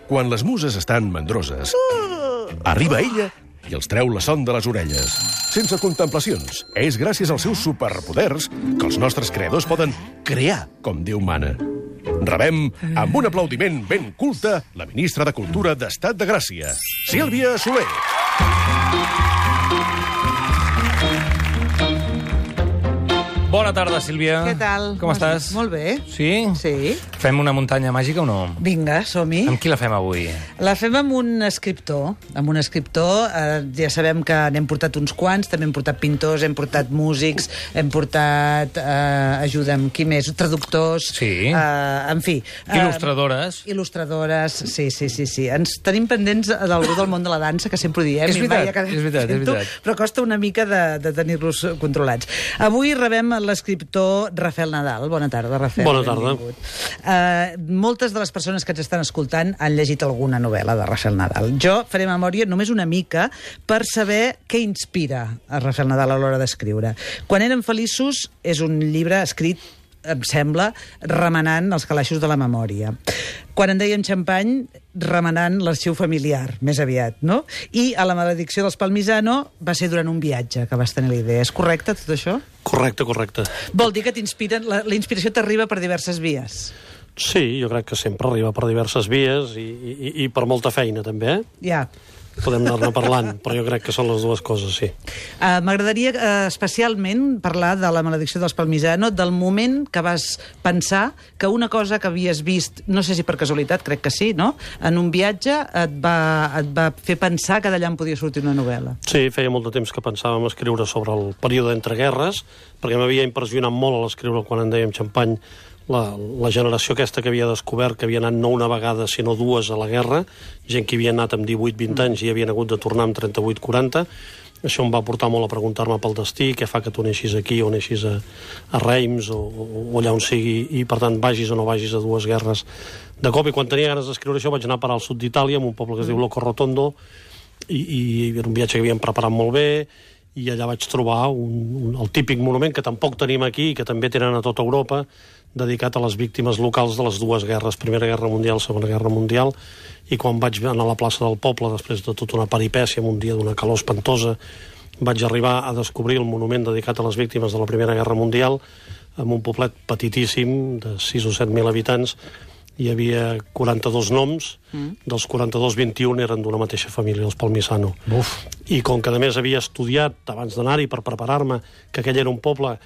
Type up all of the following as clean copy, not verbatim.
Quan les muses estan mandroses, arriba ella i els treu la son de les orelles. Sense contemplacions. És gràcies als seus superpoders que els nostres creadors poden crear com Déu mana. Rebem, amb un aplaudiment ben culte, la ministra de Cultura d'Estat de Gràcia, Sílvia Soler. Bona tarda, Sílvia. Què tal? Com estàs? Molt bé. Sí? Sí. Fem una muntanya màgica o no? Vinga, som-hi. Amb qui la fem avui? La fem amb un escriptor. Amb un escriptor, ja sabem que n'hem portat uns quants, també hem portat pintors, hem portat músics, hem portat, ajuda'm, qui més? Traductors. Sí. En fi. Il·lustradores. Il·lustradores, sí. Ens tenim pendents d'algú del món de la dansa, que sempre ho diem. És veritat. Però costa una mica de tenir-los controlats. Avui rebem l'escriptor Rafael Nadal. Bona tarda, Rafael. Bona tarda. Moltes de les persones que ens estan escoltant han llegit alguna novel·la de Rafael Nadal. Jo faré memòria només una mica per saber què inspira a Rafael Nadal a l'hora d'escriure. Quan érem feliços és un llibre escrit, em sembla, remenant els calaixos de la memòria. Quan en dèiem xampany, remenant l'arxiu familiar, més aviat, no? I a la maledicció dels Palmisano va ser durant un viatge que vas tenir la idea. És correcte, tot això? Correcte. Vol dir que t'inspiren, la inspiració t'arriba per diverses vies? Sí, jo crec que sempre arriba per diverses vies i per molta feina, també. Ja. Podem anar-ne parlant, però jo crec que són les dues coses, sí. M'agradaria especialment parlar de la maledicció dels Palmisano, del moment que vas pensar que una cosa que havies vist, no sé si per casualitat, crec que sí, no?, en un viatge et va fer pensar que d'allà en podia sortir una novel·la. Sí, feia molt de temps que pensàvem escriure sobre el període entre guerres, perquè m'havia impressionat molt a l'escriure quan en dèiem xampany la generació aquesta que havia descobert que havia anat no una vegada sinó dues a la guerra, gent que havia anat amb 18-20 anys i havien hagut de tornar amb 38-40. Això em va portar molt a preguntar-me pel destí, què fa que tu neixis aquí o neixis a Reims o allà on sigui, i per tant vagis o no vagis a dues guerres de cop. I quan tenia ganes d'escriure això vaig anar a parar al sud d'Itàlia, en un poble que es diu Loco Rotondo, i era un viatge que havíem preparat molt bé, i allà vaig trobar el típic monument que tampoc tenim aquí i que també tenen a tota Europa, dedicat a les víctimes locals de les dues guerres, Primera Guerra Mundial, Segona Guerra Mundial, i quan vaig anar a la plaça del poble, després de tota una peripècia, en un dia d'una calor espantosa, vaig arribar a descobrir el monument dedicat a les víctimes de la Primera Guerra Mundial, en un poblet petitíssim, de 6 o 7 mil habitants. Hi havia 42 noms, dels 42, 21 eren d'una mateixa família, els Palmisano. I com que a més havia estudiat, abans d'anar-hi per preparar-me, que aquell era un poble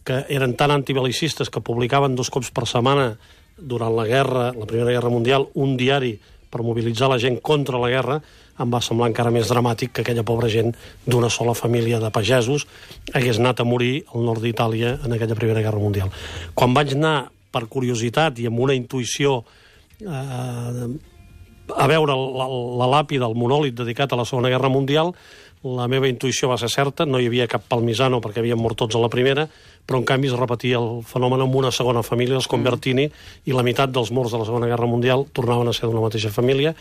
que eren tan antibel·licistes que publicaven 2 cops per setmana durant la Primera Guerra Mundial, un diari per mobilitzar la gent contra la guerra, em va semblar encara més dramàtic que aquella pobra gent d'una sola família de pagesos hagués anat a morir al nord d'Itàlia en aquella Primera Guerra Mundial. Quan vaig anar, per curiositat i amb una intuïció, a veure la làpida, el monòlit dedicat a la Segona Guerra Mundial, la meva intuïció va ser certa, no hi havia cap Palmisano perquè havien mort tots a la primera, però en canvi es repetia el fenomen amb una segona família, els Convertini, i la meitat dels morts de la Segona Guerra Mundial tornaven a ser d'una mateixa família,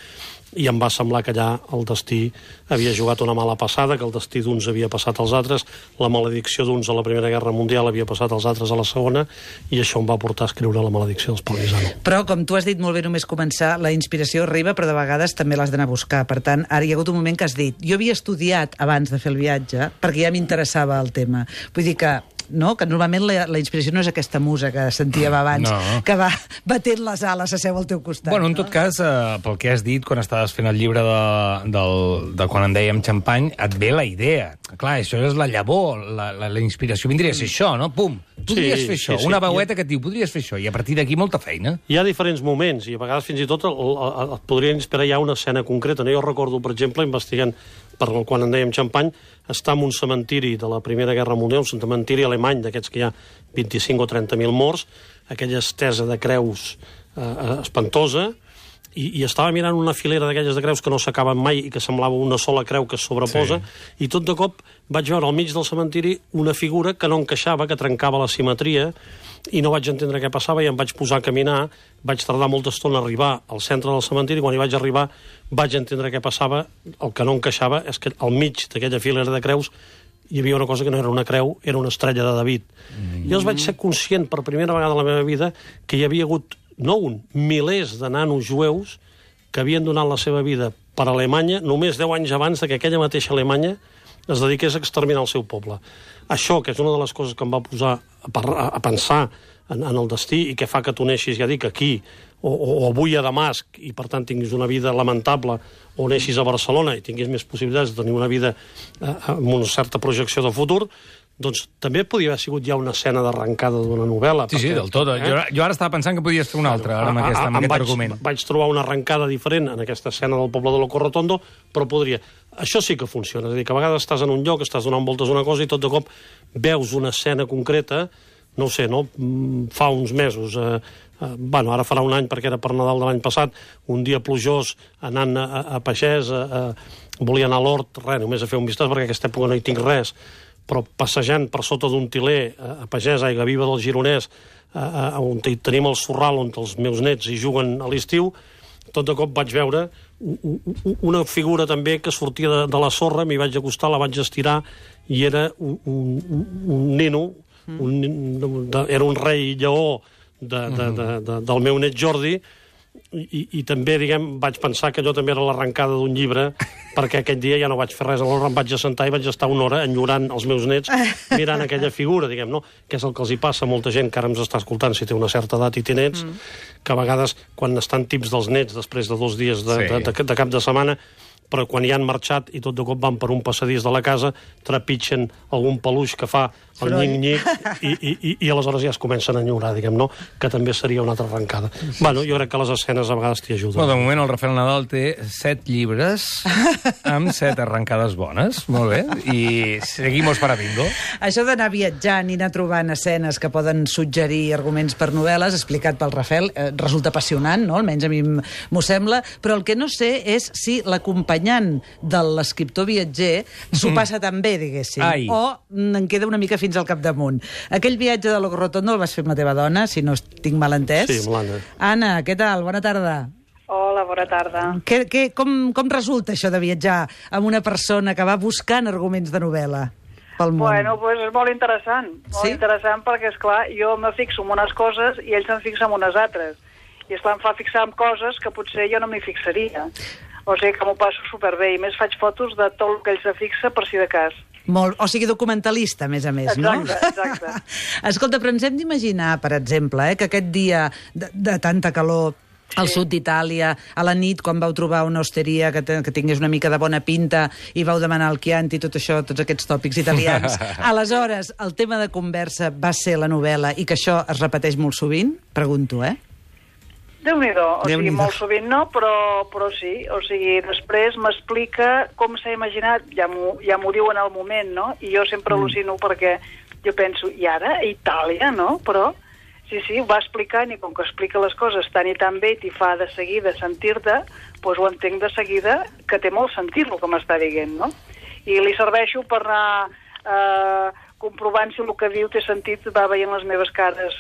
i em va semblar que allà el destí havia jugat una mala passada, que el destí d'uns havia passat als altres, la maledicció d'uns a la Primera Guerra Mundial havia passat als altres a la Segona, i això em va portar a escriure La maledicció dels Palmisano. Però, com tu has dit molt bé, només començar, la inspiració arriba, però de vegades també l'has d'anar a buscar. Per tant, ara hi ha hagut un moment que has dit, jo havia estudiat abans de fer el viatge, perquè ja m'interessava el tema. Vull dir que normalment la inspiració no és aquesta musa que sentíem abans, que va batent les ales a seu al teu costat. Bueno, en tot cas, pel que has dit, quan estaves fent el llibre de quan en dèiem xampany, et ve la idea. Clar, això és la llavor, la inspiració vindria a ser això, no? Pum! Podries fer això, una veueta que et diu, podries fer això, i a partir d'aquí molta feina. Hi ha diferents moments, i a vegades fins i tot et podria inspirar ja una escena concreta. Jo recordo, per exemple, investigant quan en dèiem xampany, està en un cementiri de la Primera Guerra Mundial, un cementiri alemany d'aquests que hi ha 25 o 30.000 morts, aquella estesa de creus espantosa, i estava mirant una filera d'aquelles de creus que no s'acaben mai i que semblava una sola creu que es sobreposa, i tot de cop vaig veure al mig del cementiri una figura que no encaixava, que trencava la simetria, i no vaig entendre què passava i em vaig posar a caminar. Vaig tardar molta estona a arribar al centre del cementiri. Quan hi vaig arribar vaig entendre què passava. El que no encaixava és que al mig d'aquella filera de creus hi havia una cosa que no era una creu, era una estrella de David. Llavors vaig ser conscient per primera vegada a la meva vida que hi havia hagut, no milers de nanos jueus que havien donat la seva vida per Alemanya només 10 anys abans que aquella mateixa Alemanya es dediqués a exterminar el seu poble. Això, que és una de les coses que em va posar a pensar en el destí i que fa que tu neixis, ja dic, aquí, o avui a Damasc, i per tant tinguis una vida lamentable, o neixis a Barcelona i tinguis més possibilitats de tenir una vida amb una certa projecció de futur, doncs també podia haver sigut ja una escena d'arrencada d'una novel·la. Sí, del tot. Jo ara estava pensant que podies fer una altra, ara amb aquest argument. Vaig trobar una arrencada diferent en aquesta escena del poble de Loco Rotondo, però podria... Això sí que funciona, és a dir, que a vegades estàs en un lloc, estàs donant voltes a una cosa i tot de cop veus una escena concreta, no ho sé, no? Fa uns mesos... Bueno, ara farà un any perquè era per Nadal de l'any passat, un dia plujós, anant a pagès, volia anar a l'hort, res, només a fer un vistàs perquè aquesta època no hi tinc res, però passejant per sota d'un tiler a pagès, a Aiguaviva del Gironès, on tenim el sorral on els meus nets hi juguen a l'estiu, tot de cop vaig veure una figura també que sortia de la sorra, m'hi vaig acostar, la vaig estirar, i era un nino, era un rei lleó del meu net Jordi, i també, diguem, vaig pensar que allò també era l'arrencada d'un llibre, perquè aquell dia ja no vaig fer res, aleshores em vaig assentar i vaig estar una hora enyorant els meus nets, mirant aquella figura, diguem, no? Que és el que els hi passa a molta gent que ara ens està escoltant, si té una certa edat i té nets, que a vegades, quan estan tips dels nets, després de 2 dies de cap de setmana, però quan hi han marxat i tot de cop van per un passadís de la casa, trepitgen algun peluix que fa el nyic-nyic i aleshores ja es comencen a enyorar, diguem, no? Que també seria una altra arrencada. Bueno, jo crec que les escenes a vegades t'hi ajuden. Bueno, de moment el Rafael Nadal té 7 llibres amb 7 arrencades bones, molt bé, i seguimos para bingo. Això d'anar viatjant i anar trobant escenes que poden suggerir arguments per novel·les, explicat pel Rafael, resulta apassionant, no? Almenys a mi m'ho sembla, però el que no sé és si l'acompanyant de l'escriptor viatger s'ho passa tan bé, diguéssim, o en queda una mica fins al capdamunt. Aquell viatge de Loco Rotondo el vas fer amb la teva dona, si no tinc mal entès. Sí, amb l'Anna. Anna, què tal? Bona tarda. Hola, bona tarda. Com resulta això de viatjar amb una persona que va buscant arguments de novel·la pel món? Bueno, pues és molt interessant. Molt interessant perquè, esclar, jo me fixo en unes coses i ell se'n fixa en unes altres. I, esclar, em fa fixar en coses que potser jo no m'hi fixaria. O sigui que m'ho passo superbé. I més faig fotos de tot el que ell se fixa per si de cas. O sigui, documentalista, a més, no? Exacte. Escolta, però ens hem d'imaginar, per exemple, que aquest dia de tanta calor al sud d'Itàlia, a la nit, quan vau trobar una osteria que tingués una mica de bona pinta i vau demanar el Chianti, tot això, tots aquests tòpics italians. Aleshores, el tema de conversa va ser la novel·la i que això es repeteix molt sovint? Pregunto, Déu-n'hi-do, o sigui, molt sovint no, però sí, o sigui, després m'explica com s'ha imaginat, ja m'ho diu en el moment, no? I jo sempre al·lucino perquè jo penso, i ara, a Itàlia, no? Però, sí, ho va explicant i com que explica les coses tan i tan bé i t'hi fa de seguida sentir-te, doncs ho entenc de seguida que té molt sentit el que m'està dient, no? I li serveixo per anar comprovant si el que diu té sentit, va veient les meves cares,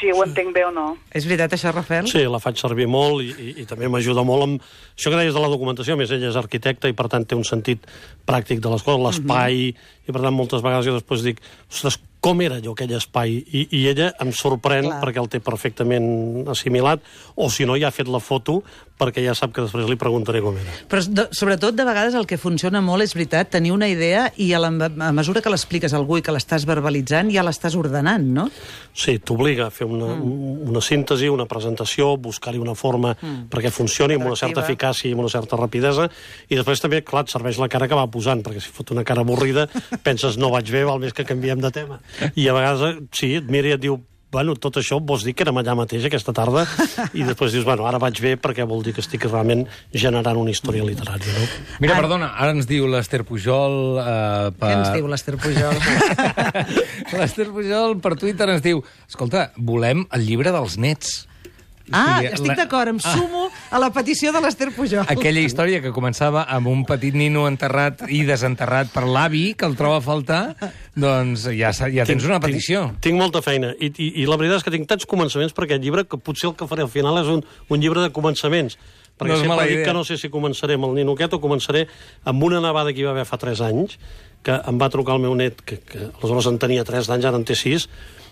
si ho entenc bé o no. És veritat això, Rafael? Sí, la faig servir molt i també m'ajuda molt amb això que deies de la documentació. A més, ella és arquitecta i per tant té un sentit pràctic de les coses, l'espai, i per tant moltes vegades jo després dic, ostres, com era allò, aquell espai? I ella em sorprèn perquè el té perfectament assimilat, o si no ja ha fet la foto perquè ja sap que després li preguntaré com era. Però sobretot de vegades el que funciona molt és veritat, tenir una idea i a mesura que l'expliques a algú i que l'estàs verbalitzant ja l'estàs ordenant, no? Sí, t'obliga a fer una síntesi, una presentació, buscar-hi una forma perquè funcioni amb una certa eficàcia i amb una certa rapidesa, i després també, clar, et serveix la cara que va posant, perquè si fot una cara avorrida penses no vaig bé, val més que canviem de tema. I a vegades, sí, et mira i et diu, bueno, tot això vols dir que érem allà mateix aquesta tarda, i després dius, bueno, ara vaig bé perquè vol dir que estic realment generant una història literària, no? Mira, perdona, ara ens diu l'Ester Pujol... Què ens diu l'Ester Pujol? L'Ester Pujol per Twitter ens diu, escolta, volem el llibre dels nets. Estic d'acord, em sumo a la petició de l'Ester Pujol. Aquella història que començava amb un petit nino enterrat i desenterrat per l'avi, que el troba a faltar, doncs ja tens una petició. Tinc molta feina, i la veritat és que tinc tants començaments per aquest llibre que potser el que faré al final és un llibre de començaments. Perquè sempre dic que no sé si començaré amb el nino aquest o començaré amb una nevada que hi va haver fa 3 anys, que em va trucar el meu net, que aleshores en tenia 3 d'anys, ara en té 6,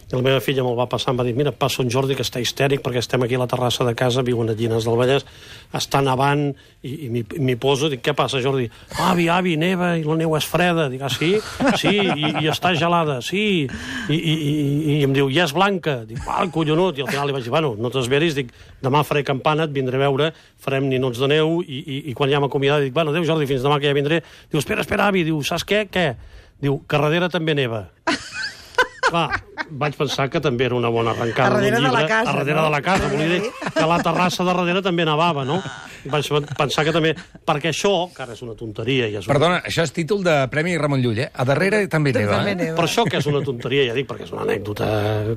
i la meva filla me'l va passar, em va dir, mira, passa un Jordi que està histèric perquè estem aquí a la terrassa de casa, viuen a Llinars del Vallès, està nevant, i m'hi poso, dic, què passa, Jordi? Avi, neva, i la neu és freda. Dic, sí, i està gelada, sí, i em diu, ja és blanca. Dic, collonut, i al final li vaig dir, bueno, no t'esveris, dic, demà faré campana, et vindré a veure, farem ninots de neu, i quan ja m'ha acomiadat, dic, bueno, adéu, Jordi, fins demà que ja vindré. Diu, espera, avi, diu, saps què? Diu, que darrere també neva. Clar, vaig pensar que també era una bona arrencada. A darrere de la casa. A darrere de la casa, volia dir que la terrassa de darrere també nevava, no? Vaig pensar que també... Perquè això, que ara és una tonteria... Perdona, això és títol de Premi Ramon Llull, eh? A darrere també neva, eh? Per això que és una tonteria, ja dic, perquè és una anècdota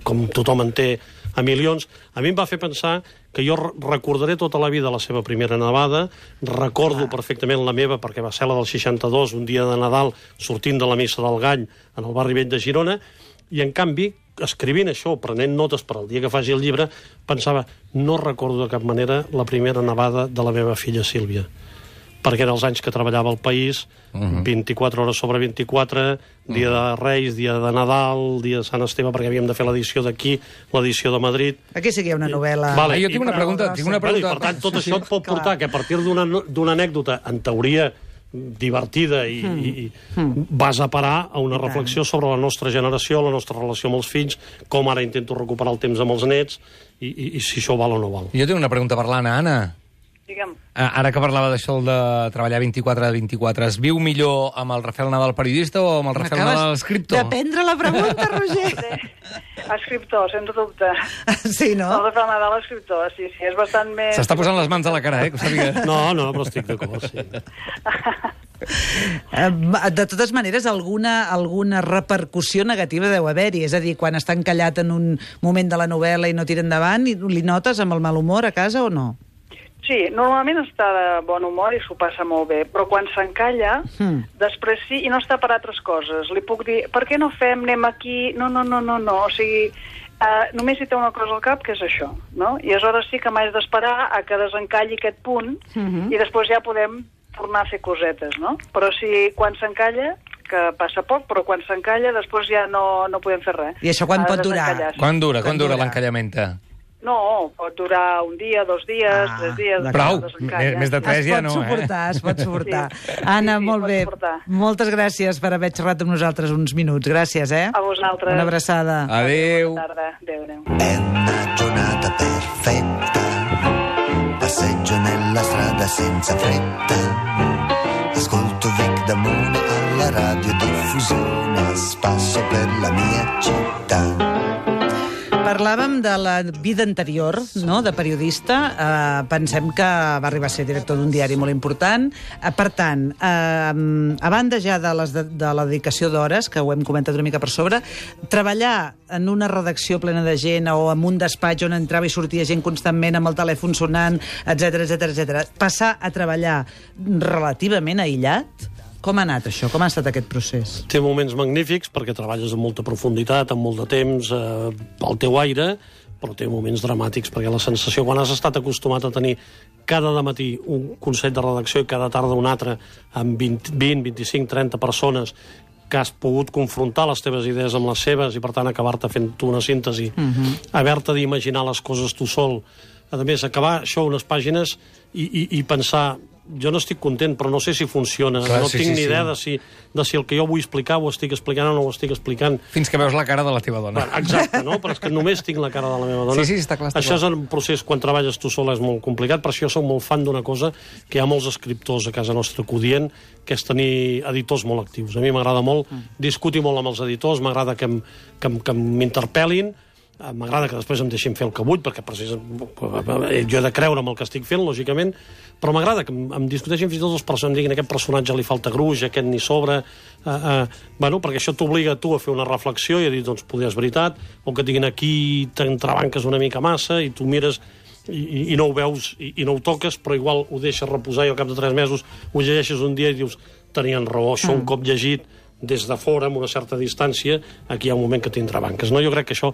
com tothom en té a milions. A mi em va fer pensar que jo recordaré tota la vida la seva primera nevada, recordo perfectament la meva, perquè va ser la del 62, un dia de Nadal, sortint de la missa del Gall, en el barri vell de Girona, i, en canvi, escrivint això, prenent notes per al dia que faci el llibre, pensava, no recordo de cap manera la primera nevada de la meva filla Sílvia, perquè eren els anys que treballava al País, 24 hores sobre 24, dia de Reis, dia de Nadal, dia de Sant Esteve, perquè havíem de fer l'edició d'aquí, l'edició de Madrid. Aquí sí que hi ha una novel·la... Vale, jo tinc una pregunta. I, per tant, tot això et pot portar que a partir d'una anècdota, en teoria, divertida i vas a parar a una reflexió sobre la nostra generació, la nostra relació amb els fills, com ara intento recuperar el temps amb els nets i si això val o no val. Jo tinc una pregunta per l'Anna. Anna, Digue'm. ara que parlava d'això de treballar 24 a 24, es viu millor amb el Rafael Nadal periodista o amb el Rafael Nadal escriptor? Dependre la pregunta, Roger. Escriptor, sense dubte. Sí, no? El Rafael Nadal, escriptor, sí, és bastant més... S'està posant les mans a la cara, que ho sàpiga. No, però estic d'acord, sí. De totes maneres, alguna repercussió negativa deu haver-hi. És a dir, quan està encallat en un moment de la novel·la i no tira endavant, li notes amb el mal humor a casa o no? Sí, normalment està de bon humor i s'ho passa molt bé, però quan s'encalla, després sí, i no està per altres coses. Li puc dir, per què no fem, anem aquí... No. O sigui, només hi té una cosa al cap, que és això, no? I aleshores sí que m'haig d'esperar a que desencalli aquest punt i després ja podem tornar a fer cosetes, no? Però si quan s'encalla, que passa poc, però quan s'encalla després ja no podem fer res. I això quan pot durar? Quan dura l'encallament? No, pot durar un dia, 2 dies, 3 dies... Prou, més de 3 ja no, Es pot suportar. Anna, molt bé. Moltes gràcies per haver xerrat amb nosaltres uns minuts. Gràcies, eh? A vosaltres. Una abraçada. Adéu. Bona tarda. Adéu. È una giornata perfetta, passeggio nella strada senza fretta, ascolto Vic Damone alla radiodiffusione, a spasso per la mia città. Parlàvem de la vida anterior, no?, de periodista. Pensem que va arribar a ser director d'un diari molt important. Per tant, a banda ja de la dedicació d'hores, que ho hem comentat una mica per sobre, treballar en una redacció plena de gent o en un despatx on entrava i sortia gent constantment amb el telèfon sonant, etc. Passar a treballar relativament aïllat, com ha anat això? Com ha estat aquest procés? Té moments magnífics perquè treballes amb molta profunditat, amb molt de temps, al teu aire, però té moments dramàtics perquè la sensació, quan has estat acostumat a tenir cada dematí un consell de redacció i cada tarda un altre amb 20, 25, 30 persones que has pogut confrontar les teves idees amb les seves i, per tant, acabar-te fent tu una síntesi, haver-te d'imaginar les coses tu sol. A més, acabar això unes pàgines i pensar... Jo no estic content, però no sé si funciona. Clar, no tinc ni idea de si el que jo vull explicar ho estic explicant o no ho estic explicant. Fins que veus la cara de la teva dona. Exacte, no? Però és que només tinc la cara de la meva dona. Sí, està clar. Això és un procés, quan treballes tu sola, és molt complicat, per això jo soc molt fan d'una cosa que hi ha molts escriptors a casa nostra que ho dient, que és tenir editors molt actius. A mi m'agrada molt discutir molt amb els editors, m'agrada que m'interpel·lin, m'agrada que després em deixin fer el que vull, perquè jo he de creure amb el que estic fent, lògicament, però m'agrada que em discuteixin fins i tot els personatges, diguin aquest personatge li falta gruix, aquest ni sobre, perquè això t'obliga a tu a fer una reflexió i a dir, doncs, poder és veritat, o que et diguin aquí t'entrebanques una mica massa i tu mires i no ho veus i no ho toques, però igual ho deixes reposar i al cap de 3 mesos ho llegeixes un dia i dius, tenien raó, això un cop llegit des de fora, amb una certa distància, aquí hi ha un moment que t'entrebanques. No? Jo crec que això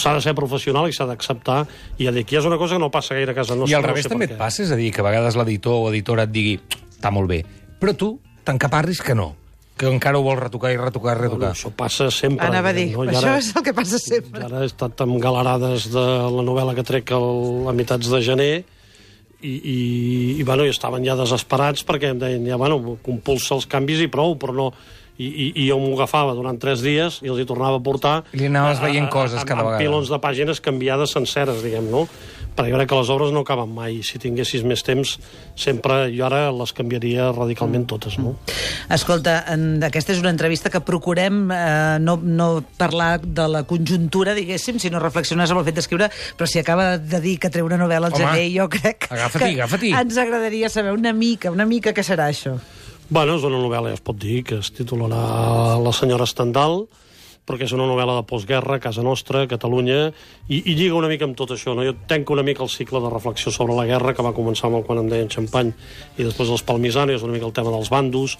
s'ha de ser professional i s'ha d'acceptar, i aquí és una cosa que no passa gaire a casa nostra. I al revés també et passa, és a dir, que a vegades l'editor o editora et digui, està molt bé, però tu t'encaparris que no. que encara ho vol retocar i retocar. Bueno, això passa sempre. Anava a dir, no? això és el que passa sempre. Ara he estat amb galerades de la novel·la que trec a mitjans de gener i estaven ja desesperats perquè em deien, compulsa els canvis i prou, però no... I jo m'ho agafava durant 3 dies i els hi tornava a portar... I li anaves veient coses cada vegada. Amb pilons de pàgines canviades senceres, diguem, no? Perquè jo crec que les obres no acaben mai. Si tinguessis més temps, sempre jo ara les canviaria radicalment totes, no? Escolta, aquesta és una entrevista que procurem no parlar de la conjuntura, diguéssim, sinó reflexionar sobre el fet d'escriure, però si acaba de dir que treu una novel·la al gener, jo crec agafa-t'hi. Ens agradaria saber una mica què serà això. Bueno, és una novel·la, ja es pot dir, que es titularà La senyora Stendhal, perquè és una novel·la de postguerra, a casa nostra, a Catalunya, i lliga una mica amb tot això, no? Jo tenco una mica el cicle de reflexió sobre la guerra, que va començar amb el Quan em deien Champagne, i després els Palmisani, és una mica el tema dels bandos,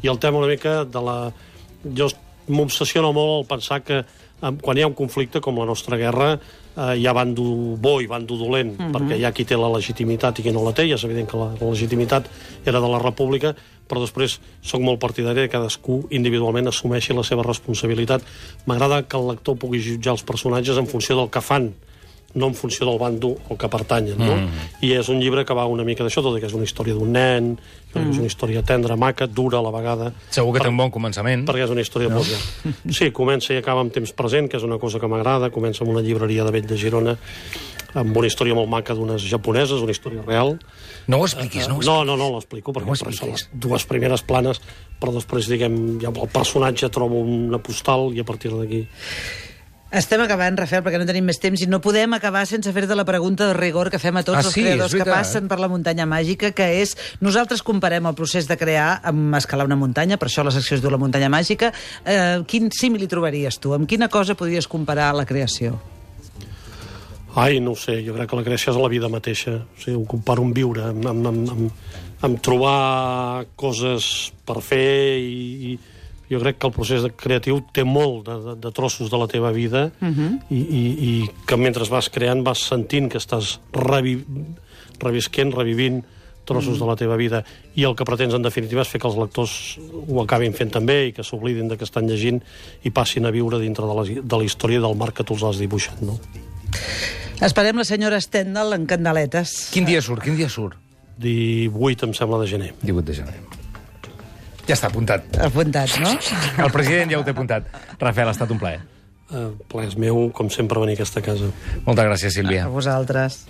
i el tema una mica de la... Jo m'obsessiona molt el pensar que quan hi ha un conflicte com la nostra guerra hi ha bando bo i bando dolent, perquè hi ha qui té la legitimitat i qui no la té, i és evident que la legitimitat era de la República, però després soc molt partidari que cadascú individualment assumeixi la seva responsabilitat. M'agrada que el lector pugui jutjar els personatges en funció del que fan, no en funció del bando al que pertanyen, no? I és un llibre que va una mica d'això, tot i que és una història d'un nen, és una història tendra, maca, dura a la vegada. Segur que té un bon començament. Perquè és una història de postguerra. Sí, comença i acaba amb temps present, que és una cosa que m'agrada, comença amb una llibreria de Vell de Girona, amb una història molt maca d'unes japoneses, una història real. No ho expliquis, no ho expliquis. No l'explico, perquè són les 2 primeres planes, però després, diguem, ja el personatge troba una postal i a partir d'aquí... Estem acabant, Rafael, perquè no tenim més temps i no podem acabar sense fer-te la pregunta de rigor que fem a tots els creadors que passen per la muntanya màgica, que és, nosaltres comparem el procés de crear amb escalar una muntanya, per això la secció es diu La muntanya màgica. Quin símil hi trobaries tu? Amb quina cosa podries comparar la creació? Ai, no ho sé, jo crec que la creació és la vida mateixa. O sigui, ho comparo amb viure, amb trobar coses per fer i jo crec que el procés creatiu té molt de trossos de la teva vida i que mentre vas creant vas sentint que estàs revivint trossos de la teva vida, i el que pretens en definitiva és fer que els lectors ho acabin fent també i que s'oblidin de que estan llegint i passin a viure dintre de la història del marc que tu els has dibuixat, no? Esperem la senyora Stendhal en candeletes. Quin dia surt? 18, em sembla, de gener. 18 de gener. Ja està, apuntat. Apuntat, no? El president ja ho té apuntat. Rafael, ha estat un plaer. Plaer és meu, com sempre, venir a aquesta casa. Moltes gràcies, Sílvia. A vosaltres.